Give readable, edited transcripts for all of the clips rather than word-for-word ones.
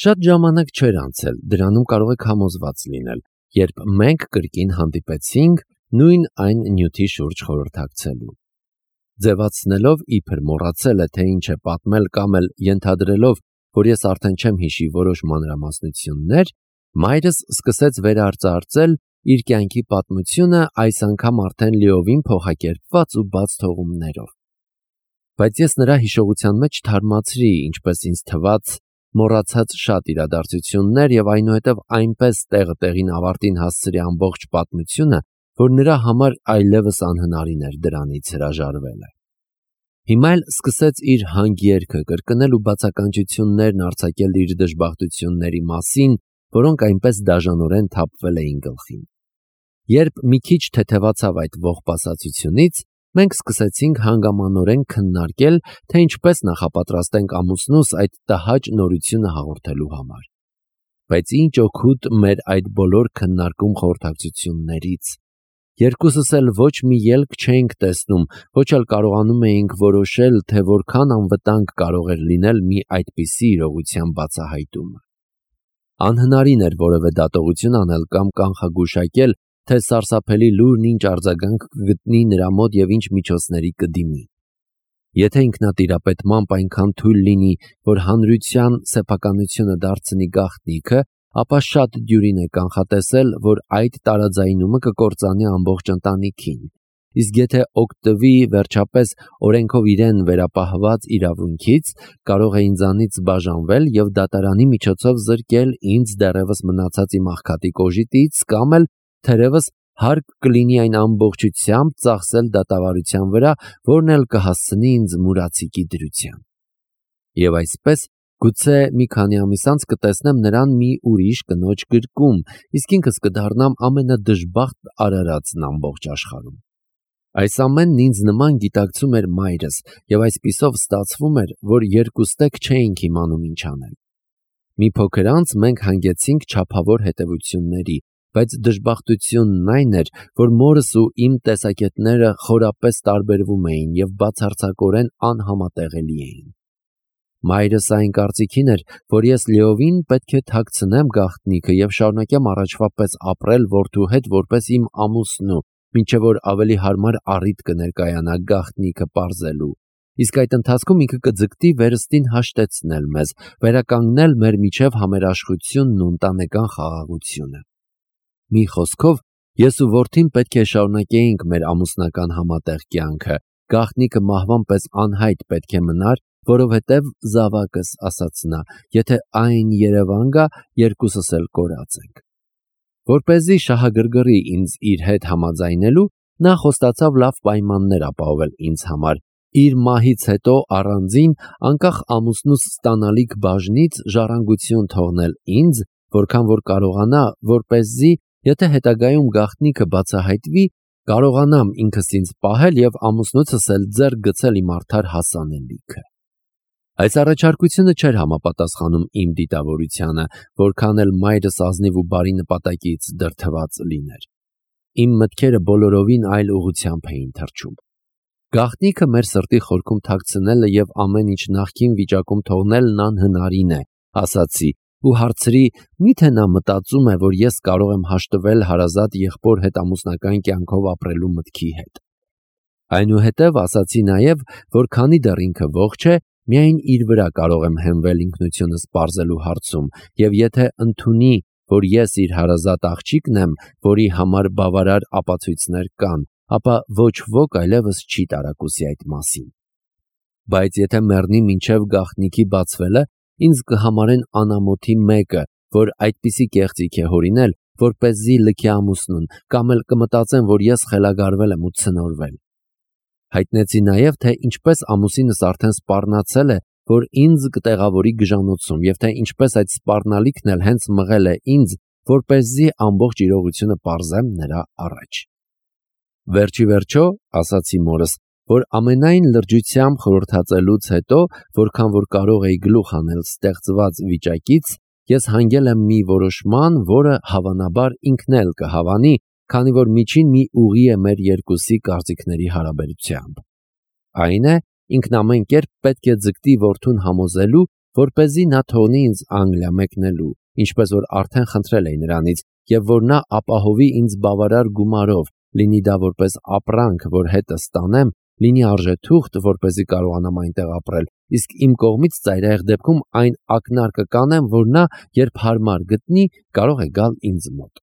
Շատ ժամանակ չէր անցել, դրանում կարող եք համոզված լինել, երբ մենք կրկին հանդիպեցինք նույն այն նյութի շուրջ խորհրդակցելու։ Ձևացնելով իբր մոռացել է, թե ինչ է պատմել կամ էլ ենթադրելով, որ ես արդեն չեմ հիշի որոշ մանրամասնություններ, մայրս սկսեց վերարծարծել իր կյանքի պատմությունը, այս անգամ արդեն լիովին փոխակերպված ու բաց թողումներով։ Բայց ես նրա հիշողության մեջ թարմացրի, ինչպես ինձ թվաց, մոռացած շատ իրադարձություններ եւ այնուհետև այնպես տեղը տեղին ավարտին հասցրի ամբողջ պատմությունը, որ նրա համար այլևս անհնարին էր դրանից հրաժարվելը։ Հիմա էլ սկսեց իր հանգերքը կրկնել ու բացականչություններն արձակել իր դժբախտությունների մասին, որոնք այնպես դաժանորեն թափվել էին գլխին։ Երբ մի քիչ թեթևացավ այդ ողբասացությունից, մենք սկսեցինք հանգամանորեն քննարկել, թե ինչպես նախապատրաստենք ամուսնուս այդ տհաճ նորությունը հաղորդելու համար։ Բայց ինչ օգուտ մեր այդ բոլոր քննարկում խորհրդակցություններից։ Երկուսս էլ ոչ մի ելք չէինք տեսնում, ոչ էլ կարողանում էինք որոշել, թե որքան անվտանգ կարող էր լինել մի այդպիսի իրողության բացահայտումը։ Անհնարին էր որևէ դատողություն անել կամ կանխագուշակել, թե սարսափելի լուրն ինչ արձագանք կգտնի նրա մոտ եւ ինչ միջոցների կդիմի։ Եթե ինքնատիրապետմամբ այնքան թույլ լինի, որ հանրության սեփականությունը դարձնի գաղտնիքը, ապա շատ դյուրին է կանխատեսել, որ այդ տարաձայնումը կկործանի ամբողջ ընտանիքին, իսկ եթե օգտվի վերջապես օրենքով իրեն վերապահված իրավունքից, կարող է ինձանից բաժանվել եւ դատարանի միջոցով զրկել ինձ դեռևս մնացած իմ աղքատի կոժիտից կամ էլ թերևս հարկ կլինի այն ամբողջությամբ ծախսել դատավարության վրա, որն էլ կհասցնի ինձ մուրացիկի դրության։ Եվ այսպես գուցե մի քանի ամիս անց կտեսնեմ նրան մի ուրիշ կնոջ գրկում, իսկ ինքս կդառնամ ամենադժբախտ արարածն ամբողջ աշխարհում։ Այս ամենն ինձ նման գիտակցում էր մայրս, եւ այսպիսով ստացվում էր, որ երկուստեք չէինք իմանում ինչ անել։ Մի փոքր անց մենք հանգեցինք չափավոր հետևությունների, բայց դժբախտությունն այն էր, որ մորս ու իմ տեսակետները խորապես տարբերվում էին եւ բացարձակորեն անհամատեղելի էին։ Մայրս այն կարծիքին էր, որ ես լիովին պետք է թաքցնեմ գաղտնիքը եւ շարունակեմ առաջվա պես ապրել որդու հետ որպես իմ ամուսնու, մինչեւ որ ավելի հարմար առիթ կներկայանա գաղտնիքը պարզելու։ Իսկ այդ ընթացքում ինքը կձգտի վերստին հաշտեցնել մեզ, վերականգնել մեր միջև համերաշխությունն ու ընտանեկան խաղաղությունը։ Մի խոսքով, ես ու որդին պետք է շարունակեինք մեր ամուսնական համատեղ կյանքը, գաղտնիքը մահվան պես անհայտ պետք է մնար, որովհետև զավակս, ասաց նա, եթե այն Երևան գա, երկուսս էլ կորած ենք։ Որպեսզի շահագրգռի ինձ իր հետ համաձայնելու, նա խոստացավ լավ պայմաններ ապահովել ինձ համար, իր մահից հետո առանձին, անկախ ամուսնուս ստանալիք բաժնից ժառանգություն թողնել ինձ, որքան որ կարողանա, որպեսզի, եթե հետագայում գաղտնիքը բացահայտվի, կարողանամ ինքս ինձ պահել եւ ամուսնուցս էլ ձեռք գցել իմ արդար հասանելիքը։ Այս առաջարկությունը չէր համապատասխանում իմ դիտավորությանը, որքան էլ մայրս ազնիվ ու բարի նպատակից դրդված լիներ։ Իմ մտքերը բոլորովին այլ ուղղությամբ էին թռչում։ Գաղտնիքը մեր սրտի խորքում թաքցնելը եւ ամեն ինչ նախկին վիճակում թողնելն անհնարին է, ասացի, ու հարցրի, միթե նա մտածում է, որ ես կարող եմ հաշտվել հարազատ եղբոր հետ ամուսնական կյանքով ապրելու մտքի հետ։ Այնուհետև ասացի նաեւ, որ քանի դեռ ինքը ողջ է, միայն իր վրա կարող եմ հենվել ինքնությունս պարզելու հարցում, եւ եթե ընդունի, որ ես իր հարազատ աղջիկն եմ, որի համար բավարար ապացույցներ կան, ապա ոչ ոք այլևս չի տարակուսի այդ մասին։ Բայց եթե մեռնի մինչև գաղտնիքի բացվելը, ինձ կհամարեն անամոթի մեկը, որ այդպիսի կեղծիք է հորինել, որպեսզի լքի ամուսնուն, կամ էլ կմտածեն, որ ես խելագարվել եմ ու ցնորվել։ Հայտնեցի նաև, թե ինչպես ամուսինս արդեն սպառնացել է, որ ինձ կտեղավորի գժանոցում, եւ թե ինչպես այդ սպառնալիքն էլ հենց մղել է ինձ, որպեսզի ամբողջ իրողությունը պարզեմ նրա առաջ։ Վերջի վերջո, ասացի մորս, որ ամենայն լրջությամբ խորհրդածելուց հետո, որքան որ կարող էի գլուխ անել ստեղծված վիճակից, ես հանգել եմ մի որոշման, որը հավանաբար ինքն էլ կհավանի, քանի որ միջին մի ուղի է մեր երկուսի կարծիքների հարաբերությամբ։ Այն է, ինքն ամեն կերպ պետք է ձգտի որդուն համոզելու, որպեսզի նա թողնի ինձ Անգլիա մեկնելու, ինչպես որ արդեն խնդրել էի նրանից, եւ որ նա ապահովի ինձ բավարար գումարով, լինի դա որպես ապրանք, որ հետս տանեմ, լինի արժեթուղթ, որպեսզի կարողանամ այնտեղ ապրել, իսկ իմ կողմից ծայրահեղ դեպքում այն ակնարկը կանեմ, որ նա, երբ հարմար գտնի, կարող է գալ ինձ մոտ։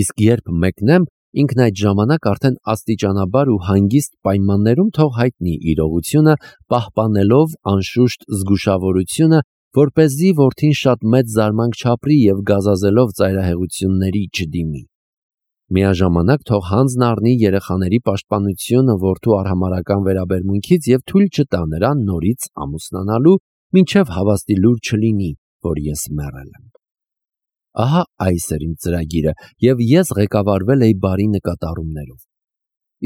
Իսկ երբ մեկնեմ, ինքն այդ ժամանակ արդեն աստիճանաբար ու հանգիստ պայմաններում թող հայտնի իրողությունը, պահպանելով անշուշտ զգուշավորությունը, որպեսզի որդին շատ մեծ զարմանք չապրի եւ գազազելով ծայրահեղությունների չդիմի։ Միաժամանակ թող հանձն առնի երեխաների պաշտպանությունը որդու արհամարհական վերաբերմունքից եւ թույլ չտա նրան նորից ամուսնանալու, մինչեւ հավաստի լուր չլինի, որ ես մեռել եմ։ Ահա այս էր իմ ծրագիրը, եւ ես ղեկավարվել էի բարի նկատառումներով։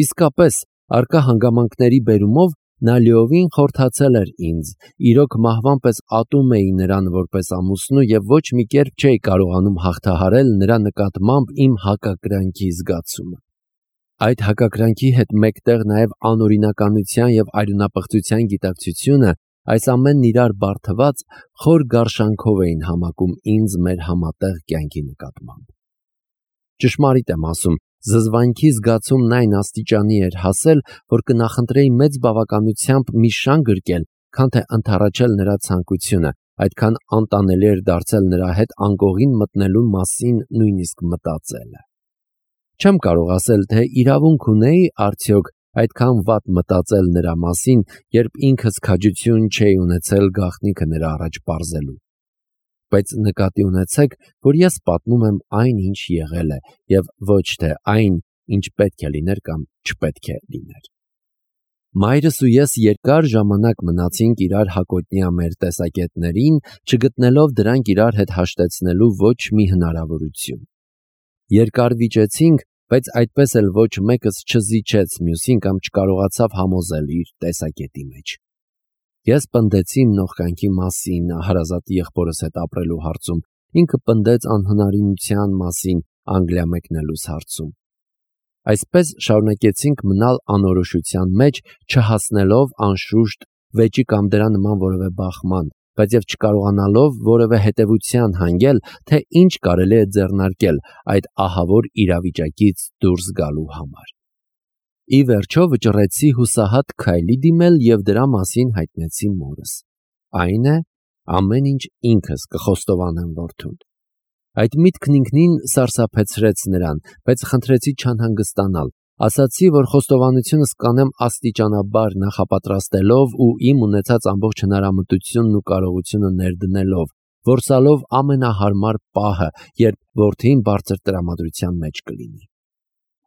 Իսկապես, արկա հանգամանքների բերումով նա լիովին խորթացել էր ինձ, իրոք մահվան պես ատում էի նրան որպես ամուսնու եւ ոչ մի կերպ չէի կարողանում հաղթահարել նրա նկատմամբ իմ հակակրանքի զգացումը։ Այդ հակակրանքի հետ մեկտեղ նաեւ անօրինականության եւ այրենապղծության գիտակցությունը, այս ամենն իրար բարթված, խոր գարշանքով էին համակում ինձ մեր համատեղ կյանքի նկատմամբ։ Ճշմարիտ եմ ասում, զզվանքի զգացումն այն աստիճանի էր հասել, որ կնախընտրեի մեծ բավականությամբ մի շան գրկել, քան թե ընդառաջել նրա ցանկությունը, այդքան անտանելի էր դարձել նրա հետ անկողին մտնելու մասին նույնիսկ մտածելը։ Չեմ կարող ասել, թե իրավունք ունեի արդյոք այդքան վատ մտածել նրա մասին, երբ ինքս քաջություն չէի ունեցել գաղտնիքը նրա առաջ պարզելու։ Բայց նկատի ունեցեք, որ ես պատմում եմ այն, ինչ եղել է, եւ ոչ թե այն, ինչ պետք է լիներ կամ չպետք է լիներ։ Մայրս ու ես երկար ժամանակ մնացինք իրար հակոտնյա մեր տեսակետներին, չգտնելով դրանք իրար հետ հաշտեցնելու ոչ մի հնարավորություն։ Երկար վիճեցինք, բայց այդպես էլ ոչ մեկս չզիջեց մյուսին կամ չկարողացավ համոզել իր տեսակետի մեջ։ Ես պնդեցի իմ նողկանքի մասին հարազատ եղբորս հետ ապրելու հարցում, ինքը պնդեց անհնարինության մասին Անգլիա մեկնելուս հարցում։ Այսպես շարունակեցինք մնալ անորոշության մեջ, չհասնելով անշուշտ վեճի կամ դրա նման որևէ բախման, բայց եւ չկարողանալով որևէ հետևության հանգել, թե ինչ կարելի է ձեռնարկել այդ ահավոր իրավիճակից դուրս գալու համար։ Ի վերջո վճռեցի հուսահատ քայլի դիմել եւ դրա մասին հայտնեցի մորս։ Այն է, ամեն ինչ ինքս կխոստովանեմ որդուն։ Այդ միտքն ինքնին սարսափեցրեց նրան, բայց խնդրեցի չանհանգստանալ, ասացի, որ խոստովանությունս կանեմ աստիճանաբար նախապատրաստելով ու իմ ունեցած ամբողջ հնարամտությունն ու կարողությունը ներդնելով, որսալով ամենահարմար պահը, երբ որդին բարձր տրամադրության մեջ կլինի։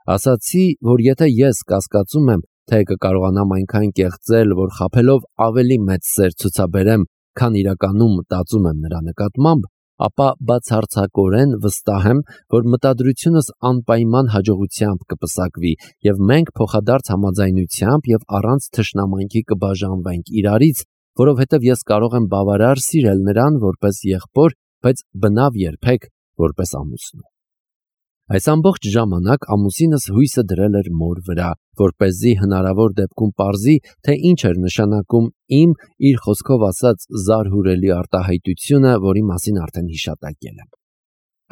Ասացի, որ եթե ես կասկածում եմ, թե կկարողանամ այնքան կեղծել, որ խաբելով ավելի մեծ սեր ցուցաբերեմ, քան իրականում մտածում եմ նրա նկատմամբ, ապա բացարձակորեն վստահ եմ, որ մտադրությունս անպայման հաջողությամբ կպսակվի եւ մենք փոխադարձ համաձայնությամբ եւ առանց թշնամանքի կբաժանվենք իրարից, որովհետեւ ես կարող եմ բավարար սիրել նրան որպես եղբոր, բայց բնավ երբեք որպես ամուսնու։ Այս ամբողջ ժամանակ ամուսինս հույսը դրել էր մոր վրա, որպեսզի հնարավոր դեպքում պարզի, թե ինչ էր նշանակում իմ իր խոսքով ասած զարհուրելի արտահայտությունը, որի մասին արդեն հիշատակել եմ։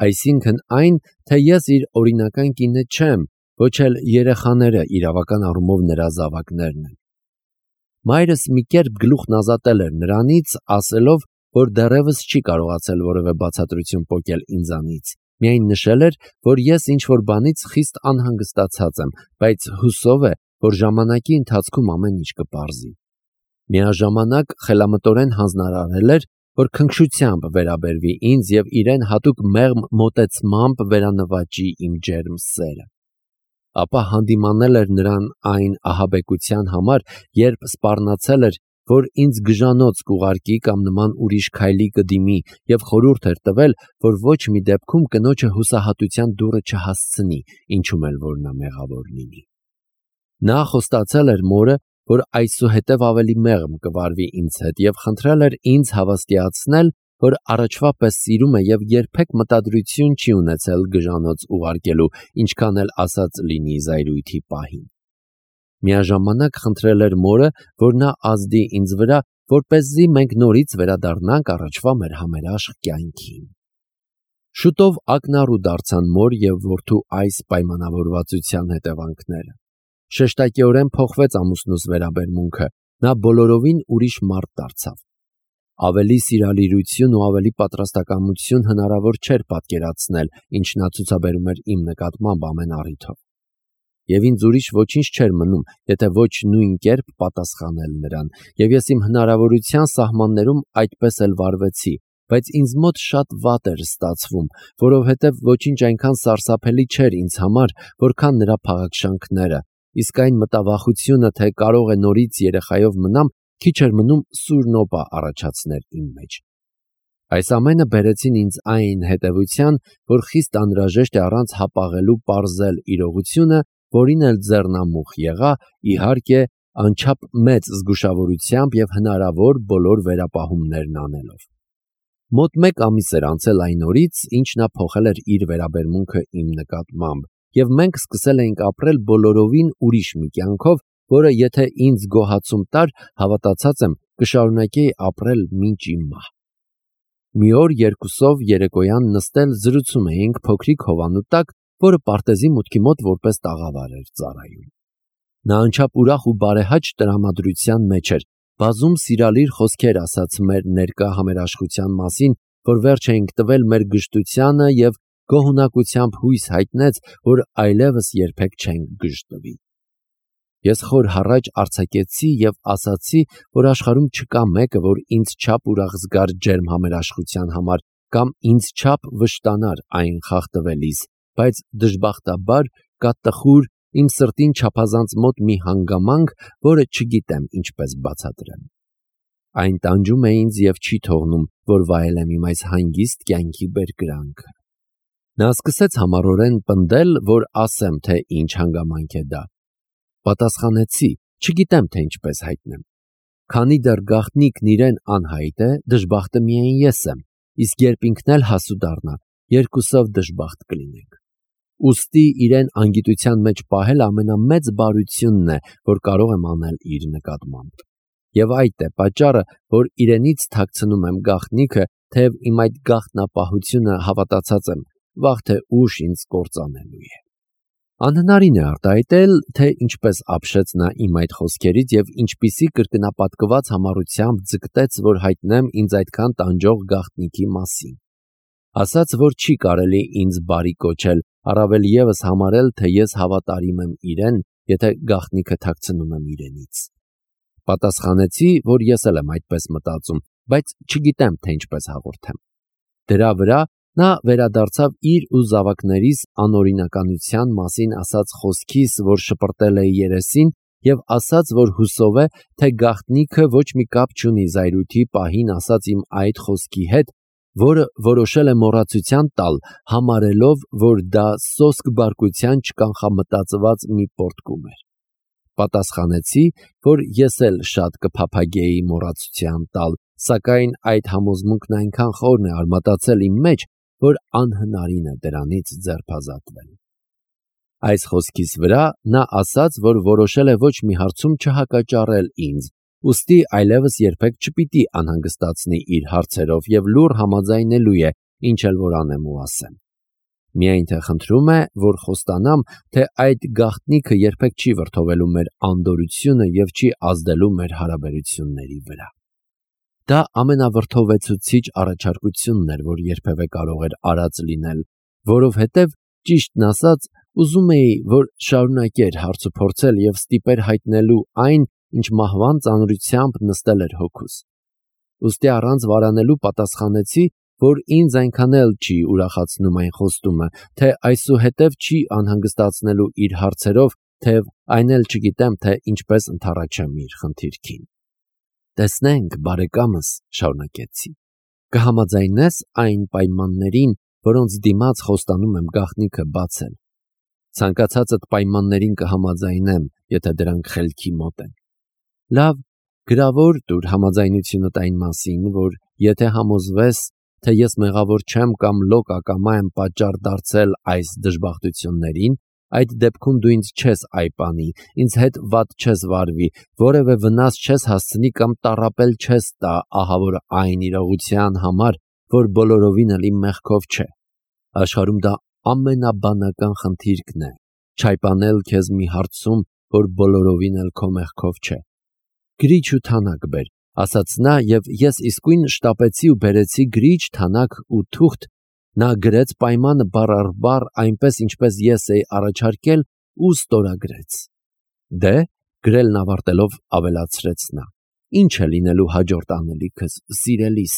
Այսինքն այն, թե ես իր օրինական կինը չեմ, ոչ էլ երեխաները իրավական առումով նրա զավակներն են։ Մայրս մի կերպ գլուխն ազատել էր նրանից, ասելով, որ դեռևս չի կարողացել որևէ բացատրություն պոկել ինձանից։ Միայն նշել էր, որ ես ինչ-որ բանից խիստ անհանգստացած եմ, բայց հուսով է, որ ժամանակի ընթացքում ամեն ինչ կպարզի։ Միաժամանակ խելամտորեն հանձնարարել էր, որ քնքշությամբ վերաբերվի ինձ եւ իրեն հատուկ մեղմ մոտեցմամբ վերանվաճի իմ ջերմ սերը։ Ապա հանդիմանել էր նրան այն ահաբեկության համար, երբ սպառնացել էր, որ ինձ գժանոց կուղարկի կամ նման ուրիշ քայլի կդիմի եւ խորհուրդ էր տվել, որ ոչ մի դեպքում կնոջը հուսահատության դուռը չհասցնի, ինչում էլ որ նա մեղավոր լինի։ Նա խոստացել էր մորը, որ այսուհետև ավելի մեղմ կվարվի ինձ հետ եւ խնդրել էր ինձ հավաստիացնել, որ առաջվա պես սիրում է եւ երբեք մտադրություն չի ունեցել գժանոց ուղարկելու, ինչքան էլ ասած լինի զայրույթի պահին։ Միաժամանակ խնդրել էր մորը, որ նա ազդի ինձ վրա որպեսզի մենք նորից վերադառնանք առաջվա մեր համերաշխ կյանքին։ Շուտով ակնառու դարձան մոր և որդու այս պայմանավորվածության հետևանքները։ Շեշտակիորեն փոխվեց ամուսնուս վերաբերմունքը, նա բոլորովին ուրիշ մարդ դարձավ։ Ավելի սիրալիրություն ու ավելի պատրաստակամություն հնարավոր չէր պատկերացնել, ինչ նա ցուցաբերում էր իմ նկատմամբ ամեն առիթով։ Եվ ինձ ուրիշ ոչինչ չէր մնում, եթե ոչ նույն կերպ պատասխանել նրան, և ես իմ հնարավորության սահմաններում այդպես էլ վարվեցի, բայց ինձ մոտ շատ վատ էր ստացվում, որովհետև ոչինչ այնքան սարսափելի չէր ինձ համար, որքան նրա փաղաքշանքները, իսկ այն մտավախությունը, թե կարող է նորից երեխայով մնամ, քիչ էր մնում սուր նոպա առաջացներ իմ մեջ։ Այս ամենը բերեցին ինձ այն հետևության, որ խիստ անհրաժեշտ է առանց հապաղելու պարզել իրողությունը, որին էլ ձեռնամուխ եղա, իհարկե, անչափ մեծ զգուշավորությամբ և հնարավոր բոլոր վերապահումներն անելով։ Մոտ 1 ամիս էր անցել այն օրից, ինչ նա փոխել էր իր վերաբերմունքը իմ նկատմամբ, և մենք սկսել էինք ապրել բոլորովին ուրիշ մի կյանքով, որը եթե ինձ գոհացում տար, հավատացած եմ, կշարունակեի ապրել մինչ իմ մահ։ Մի օր երկուսով երեկոյան նստել զրուցում էինք փոքրիկ հովանու տակ, որը պարտեզի մուտքի մոտ որպես տաղավար էր ծառայում։ Նա անչափ ուրախ ու բարեհաճ տրամադրության մեջ էր, բազում սիրալիր խոսքեր ասաց մեր ներկա համերաշխության մասին, որ վերջ էինք տվել մեր գժտությանը և գոհունակությամբ հույս հայտնեց, որ այլևս երբեք չենք գժտվի։ Ես խոր հառաչ արձակեցի և ասացի, որ աշխարհում չկա մեկը, որ ինձ չափ ուրախ զգար ջերմ համերաշխության համար կամ ինձ չափ վշտանար այն խախտվելիս, բայց դժբախտաբար կա տխուր, իմ սրտին չափազանց մոտ մի հանգամանք, որը չգիտեմ ինչպես բացատրեմ։ Այն տանջում է ինձ և չի թողնում, որ վայելեմ իմ այս հանգիստ կյանքի բերկրանքը։ Նա սկսեց համառորեն պնդել, որ ասեմ, թե ինչ հանգամանք է դա։ Պատասխանեցի, չգիտեմ, թե ինչպես հայտնեմ։ Քանի դեռ գաղտնիքն իրեն անհայտ է, դժբախտը միայն ես եմ, իսկ երբ ինքն էլ հասու դառնա, երկուսով դժբախտ կլինենք։ Ուստի իրեն անգիտության մեջ պահել ամենամեծ բարությունն է, որ կարող եմ անել իր նկատմամբ։ Եվ այդ է պատճառը, որ իրենից թաքցնում եմ գաղտնիքը, թեև իմ այդ գաղտնապահությունը, հավատացած եմ, վաղ թե ուշ ինձ կործանելու է։ Անհնարին է արտահայտել, թե ինչպես ապշեց նա իմ այդ խոսքերից և ինչպիսի կրկնապատկված համառությամբ ձգտեց, որ հայտնեմ ինձ այդքան տանջող գաղտնիքի մասին։ Ասաց, որ չի կարելի ինձ բարի կոչել, առավել ևս համարել, թե ես հավատարիմ եմ իրեն, եթե գաղտնիքը թաքցնում եմ իրենից։ Պատասխանեցի, որ ես էլ եմ այդպես մտածում, բայց չգիտեմ, թե ինչպես հաղորդեմ։ Դրա վրա նա վերադարձավ իր ու զավակներիս անօրինականության մասին ասած խոսքիս, որ շպրտել էի երեսին, և ասաց, որ հուսով է, թե գաղտնիքը ոչ մի կապ չունի զայրույթի պահին ասած իմ այդ խոսքի հետ, որը որոշել է մոռացության տալ, համարելով, որ դա սոսկ բարկության չկանխամտածված մի պոռթկում էր։ Պատասխանեցի, որ ես էլ շատ կփափագեի մոռացության տալ, սակայն այդ համոզմունքն այնքան խորն է արմատացել իմ մեջ, որ անհնարին է դրանից ձերբազատվել։ Այս խոսքիս վրա նա ասաց, որ որոշել է ոչ մի հարցում չհակաճառել ինձ, ուստի այլևս երբեք չպիտի անհանգստացնի իր հարցերով և լուռ համաձայնելու է, ինչ էլ որ անեմ ու ասեմ։ Միայն թե խնդրում է, որ խոստանամ, թե այդ գաղտնիքը երբեք չի վրդովելու մեր անդորրությունը և չի ազդելու մեր հարաբերությունների վրա։ Դա ամենավրդովեցուցիչ առաջարկությունն էր, որ երբևէ կարող էր արած լինել, որովհետև, ճիշտն ասած, ուզում էի, որ շարունակեր հարցուփորձել և ստիպեր հայտնելու այն, ինչ մահվան ծանրությամբ նստել էր հոգուս։ Ուստի առանց վարանելու պատասխանեցի, որ ինձ այնքան էլ չի ուրախացնում այն խոստումը, թե այսուհետև չի անհանգստացնելու իր հարցերով, թեև այն էլ չգիտեմ, թե ինչպես ընդառաջեմ իր խնդիրքին։ Տեսնենք, բարեկամս, շարունակեցի, կհամաձայնես այն պայմաններին, որոնց դիմաց խոստանում եմ գաղտնիքը բացել։ Ցանկացածդ պայմաններին կհամաձայնեմ, եթե դրանք խելքի մոտ են։ Լավ, գրավոր տուր համաձայնությունդ այն մասին, որ եթե համոզվես, թե ես մեղավոր չեմ կամ լոկ ակամա եմ պատճառ դարձել այս դժբախտություններին, Այդ դեպքում դու ինձ չես այպանի, ինձ հետ վատ չես վարվի, որևէ վնաս չես հասցնի կամ տառապել չես տա, ահավոր այն իրողության համար, որ բոլորովին էլ իմ մեղքով չէ։ Աշխարհում դա ամենաբանական խնդիրն է, չայպանել քեզ մի հարցում, որ բոլորովին էլ քո մեղքով չէ։ Գրիչ ու թանակ բեր, ասաց նա, եւ ես իսկույն շտապեցի ու բերեցի գրիչ, թանակ ու թուղթ։ Նա գրեց պայմանը բառ առ բառ, այնպես ինչպես ես էի առաջարկել, ու ստորագրեց։ Դե, գրելն ավարտելով ավելացրեց նա. Ինչ է լինելու հաջորդ անելիքս, սիրելիս։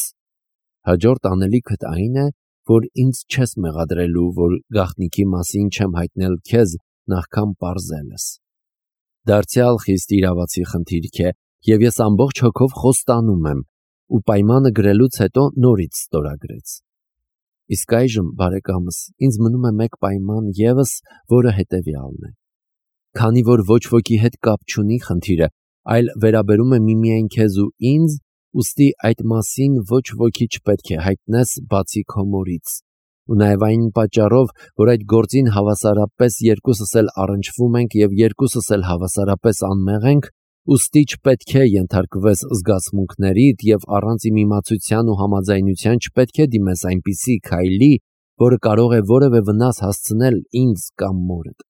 Հաջորդ անելիքդ այն է, որ ինձ չես մեղադրելու, որ գաղտնիքի մասին չեմ հայտնել քեզ նախքան պարզելս։ Դարձյալ խիստ իրավացի խնդիրք է, եւ ես ամբողջ հոգով խոստանում եմ, ու պայմանը գրելուց հետո նորից ստորագրեց։ Իսկ այժմ, բարեկամս, ինձ մնում է մեկ պայման եւս, որը հետեւյալն է։ Քանի որ ոչ ոքի հետ կապ չունի խնդիրը, այլ վերաբերում է միմիայն քեզ ու ինձ, ուստի այդ մասին ոչ ոքի չպետք է հայտնես բացի քո մորից։ Ու նաեւ այն պատճառով, որ այդ գործին հավասարապես երկուսս էլ առնչվում ենք եւ երկուսս էլ հավասարապես անմեղ ենք, ուստի չպետք է ենթարկվես զգացմունքներիդ եւ առանց իմ իմացության ու համաձայնության չպետք է դիմես այնպիսի քայլի, որը կարող է որևէ վնաս հասցնել ինձ կամ մորդ։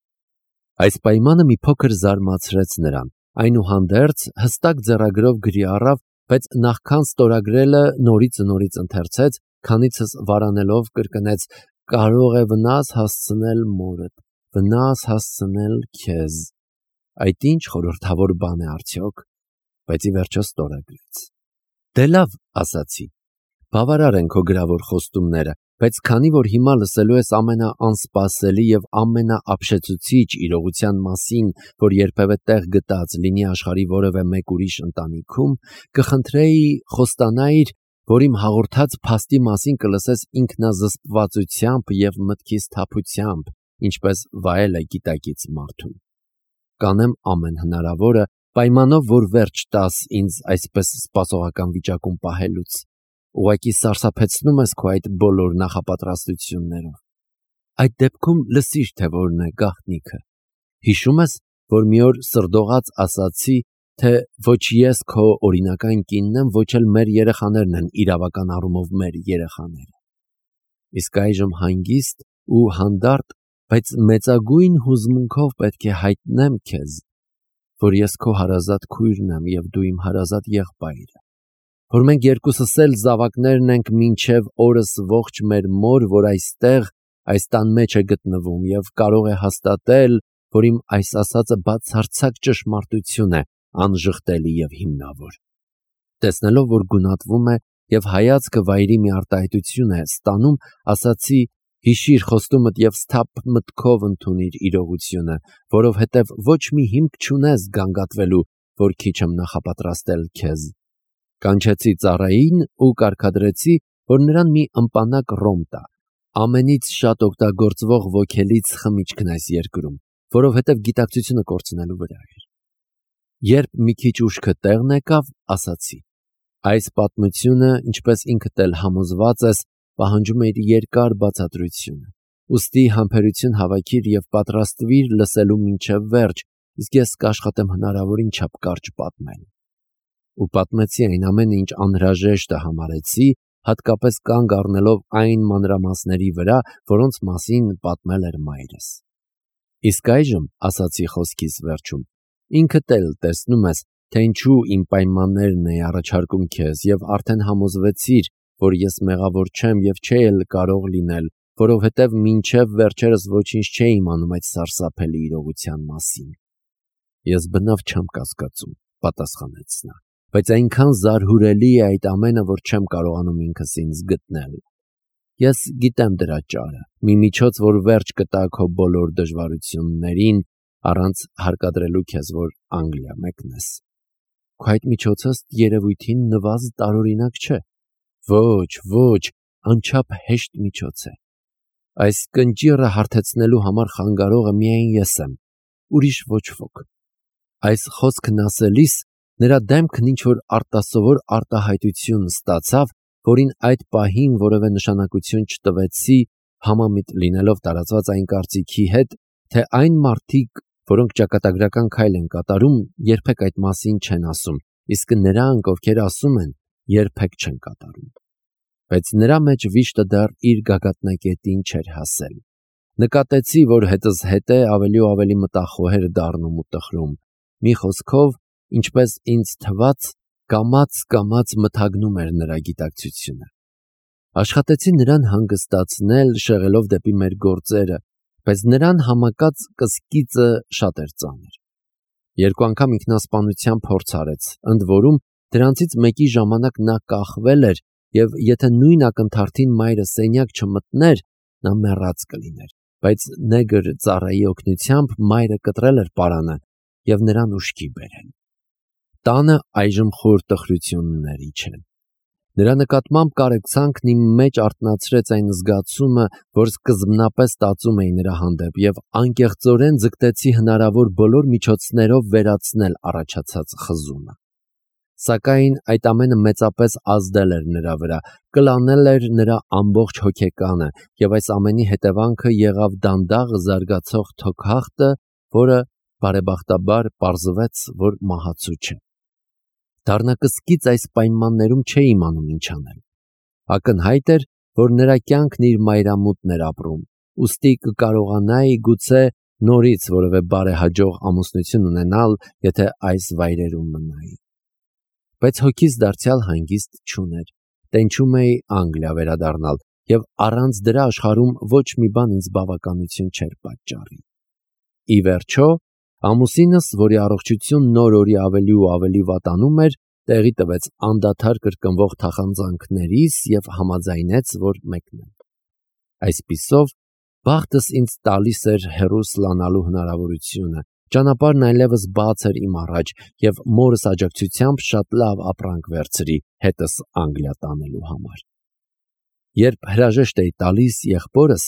Այս պայմանը մի փոքր զարմացրեց նրան, այնուհանդերձ հստակ ձեռագրով գրի առավ, բայց նախքան ստորագրելը նորից ընթերցեց, քանիցս վարանելով կրկնեց. կարող է վնաս հասցնել մորդ, վնաս հասցնել քեզ։ Այդ ինչ խորհրդավոր բան է արդյոք, բայց ի վերջո ստորագրեց։ Դե լավ, ասացի, բավարար են քո գրավոր խոստումները, բայց քանի որ հիմա լսելու ես ամենաանսպասելի եւ ամենաապշեցուցիչ իրողության մասին, որ երբևէ տեղ գտած լինի աշխարհի որևէ մեկ ուրիշ ընտանիքում, կխնդրեի խոստանայիր, որ իմ հաղորդած փաստի մասին կլսես ինքնազսպվածությամբ եւ մտքի սթափությամբ, ինչպես վայել է գիտակից մարդուն։ Կանեմ ամեն հնարավորը, պայմանով, որ վերջ տաս ինձ այսպես սպասողական վիճակում պահելուց։ Ուղղակի սարսափեցնում ես քո այդ բոլոր նախապատրաստություններով։ Այդ դեպքում լսիր, թե որն է գաղտնիքը։ Հիշում ես, որ մի օր սրդողաց ասացի, թե ոչ ես քո օրինական կինն եմ, ոչ էլ մեր երեխաներն են իրավական առումով մեր երեխաները։ Իսկ այժմ հանգիստ ու հանդարտ, բայց մեծագույն հուզմունքով պետք է հայտնեմ քեզ, որ ես քո հարազատ քույրն եմ եւ դու իմ հարազատ եղբայրը, որ մենք երկուսս էլ զավակներն ենք մինչև օրս ողջ մեր մոր, որ այստեղ այս տան մեջ է գտնվում եւ կարող է հաստատել, որ իմ այս ասածը բացարձակ ճշմարտություն է, անժխտելի եւ հիմնավոր։ Տեսնելով, որ գունատվում է եւ հայացքը վայրի մի արտահայտություն է ստանում, ասացի. հիշիր խոստումդ եւ սթափ մտքով ընդունիր իրողությունը, որովհետեւ ոչ մի հիմք չունես գանգատվելու, որ քիչ եմ նախապատրաստել քեզ։ Կանչեցի ծառային ու կարգադրեցի, որ նրան մի ըմպանակ ռոմ տա, ամենից շատ օգտագործվող ոգելից խմիչքն այս երկրում, որովհետև գիտակցությունը կորցնելու վրա էր։ Երբ մի քիչ ուշքը տեղն եկավ, ասացի. այս պատմությունը, ինչպես ինքդ էլ համոզված ես, պահանջում է իր երկար բացատրությունը, ուստի համբերություն հավաքիր եւ պատրաստվիր լսելու մինչև վերջ, իսկ ես կաշխատեմ հնարավորին չափ կարճ պատմել։ Ու պատմեցի այն ամենը, ինչ անհրաժեշտը համարեցի, հատկապես կանգ առնելով այն մանրամասների վրա, որոնց մասին պատմել էր մայրս։ Իսկ այժմ, ասացի խոսքիս վերջում, ինքդ էլ տեսնում ես, թե ինչու իմ պայմաններն էի առաջարկում քեզ եւ արդեն համոզվեցիր, որ ես մեղավոր չեմ եւ չէի էլ կարող լինել, որովհետեւ մինչեւ վերջերս ոչինչ չէի իմանում այդ սարսափելի իրողության մասին։ Ես բնավ չեմ կասկածում, պատասխանեց նա, բայց այնքան զարհուրելի է այդ ամենը, որ չեմ կարողանում ինքս ինձ գտնել։ Ես գիտեմ դրա ճարը, մի միջոց, որ վերջ կտա քո բոլոր դժվարություններին, առանց հարկադրելու քեզ, որ Անգլիա մեկնես։ Քո այդ միջոցը ըստ երևույթին նվազ տարօրինակ չէ։ Ոչ, անչափ հեշտ միջոց է։ Այս կնճիռը հարթեցնելու համար խանգարողը միայն ես եմ, ուրիշ ոչ ոք։ Այս խոսքն ասելիս նրա դեմքն ինչ-որ արտասովոր արտահայտություն ստացավ, որին այդ պահին որևէ նշանակություն չտվեցի, համամիտ լինելով տարածված այն կարծիքի հետ, թե այն մարդիկ, որոնք ճակատագրական քայլ են կատարում, երբեք այդ մասին չեն ասում, իսկ նրանք, ովքեր ասում են, երբեք չեն կատարում։ Բայց նրա մեջ վիշտը դեռ իր գագաթնակետին չէր հասել։ Նկատեցի, որ հետս հետե ավելի ու ավելի մտախոհեր դառնում ու տխրում։ Մի խոսքով, ինչպես ինձ թվաց, կամաց մթագնում էր նրա գիտակցությունը։ Աշխատեցի նրան հանգստացնել, շեղելով դեպի մեր գործերը, բայց նրան համակած կսկիծը շատ էր ծանր։ Երկու անգամ ինքնասպանության փորձ արեց, ընդ որում դրանցից մեկի ժամանակ նա կախվել էր, եւ եթե նույն ակնթարթին մայրը սենյակ չմտներ, նա մեռած կլիներ, բայց նեգր ծառայի օգնությամբ մայրը կտրել էր պարանը եւ նրան ուշքի բերել։ Տանը այժմ խոր տխրություններ իջան։ Նրա նկատմամբ կարեկցանքն իմ մեջ արթնացրեց այն զգացումը, որ սկզբնապես տածում էի նրա հանդեպ եւ անկեղծորեն ձգտեցի հնարավոր բոլոր միջոցներով վերացնել առաջացած խզումը։ Սակայն այդ ամենը մեծապես ազդել էր նրա վրա, կլանել էր նրա ամբողջ հոգեկանը եւ այս ամենի հետևանքը եղավ դանդաղ զարգացող թոքախտը, որը բարեբախտաբար պարզվեց, որ մահացու չէ։ Դառնակսկիծ այս պայմաններում չէի իմանում ինչ անել։ Ակնհայտ էր, որ նրա կյանքն իր մայրամուտն էր ապրում, ուստի կկարողանայի գուցե նորից որևէ բարեհաջող ամուսնություն ունենալ, եթե այս վայրերում մնայի։ Բայց հոգիս դարձյալ հանգիստ չուներ, տենչում էի Անգլիա վերադառնալ, եւ առանց դրա աշխարհում ոչ մի բան ինձ բավականություն չէր պատճառի։ Ի վերջո, ամուսինս, որի առողջությունն օր-օրի ավելի ու ավելի վատանում էր, տեղի տվեց անդադար կրկնվող թախանձանքներիս եւ համաձայնեց, որ մեկնեմ։ Այսպիսով, բախտս ինձ տալիս էր հեռու սլանալու հնարավորությունը, ճանապարհն այլևս բաց էր իմ առաջ եւ մորս աջակցությամբ շատ լավ ապրանք վերցրի հետս Անգլիա տանելու համար։ Երբ հրաժեշտ էի տալիս եղբորս,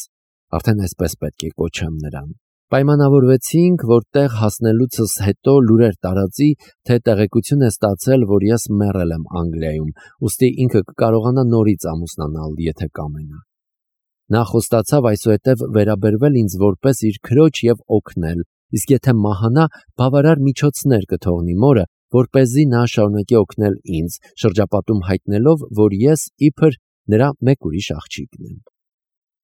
արդեն այսպես պետք է կոչեմ նրան, պայմանավորվեցինք, որ տեղ հասնելուցս հետո լուրեր տարածի, թե տեղեկություն է ստացել, որ ես մեռել եմ Անգլիայում, ուստի ինքը կկարողանա նորից ամուսնանալ, եթե կամենա։ Նա խոստացավ այսուհետև վերաբերվել ինձ որպես իր քրոջ եւ օգնել, իսկ եթե մահանա, բավարար միջոցներ կթողնի մորը, որպեսզի նա շարունակի օգնել ինձ, շրջապատում հայտնելով, որ ես իբր նրա մեկ ուրիշ աղջիկն եմ։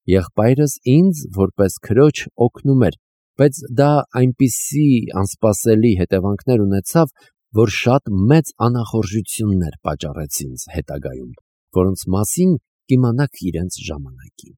Եղբայրս ինձ որպես քրոջ օգնում էր, բայց դա այնպիսի անսպասելի հետևանքներ ունեցավ, որ շատ մեծ անախորժություններ պատճառեց ինձ հետագայում, որոնց մասին կիմանաք իրենց ժամանակին։